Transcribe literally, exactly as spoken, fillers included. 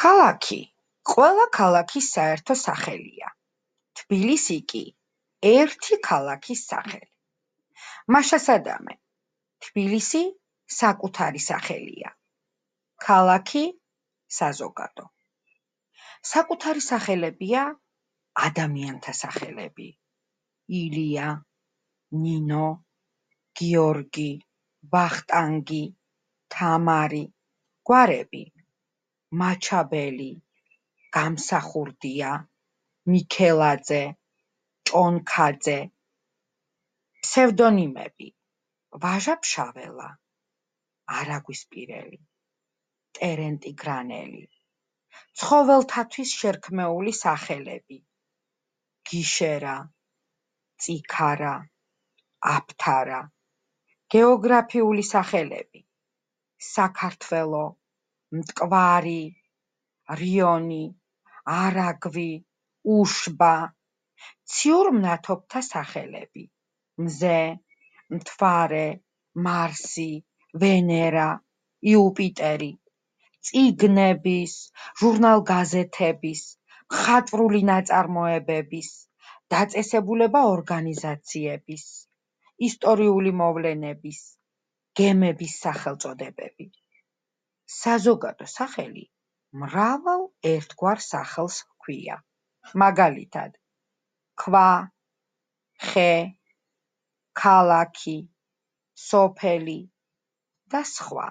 ქალაქი ყველა ქალაქის საერთო სახელია. თბილისი კი ერთი ქალაქის სახელი. მაშასადამე, თბილისი საკუთარი სახელია. ქალაქი საზოგადო. საკუთარი სახელებია ადამიანთა სახელები. ილია, ნინო, გიორგი, ვახტანგი, თამარი, გვარები. მაჩაბელი, გამსახურდია, მიქელაძე, ჭონქაძე. ფსევდონიმები: ვაჟა-ფშაველა, არაგვისპირელი, ტერენტი გრანელი. ცხოველთათვის შერქმეული სახელები: გიშერა, წიქარა, აფთარა. გეოგრაფიული სახელები: საქართველო, მტკვარი, რიონი, არაგვი, უშბა. ციურ მნათობთა სახელები: მზე, მთვარე, მარსი, ვენერა, იუპიტერი. წიგნების, ჟურნალ-გაზეთების, მხატვრული ნაწარმოებების, დაწესებულება ორგანიზაციების, ისტორიული მოვლენების, გემების სახელწოდებები. საზოგადო სახელი მრავალ ერთგვარ სახელს ჰქვია. მაგალითად: ქვა, ხე, ქალაქი, სოფელი და სხვა.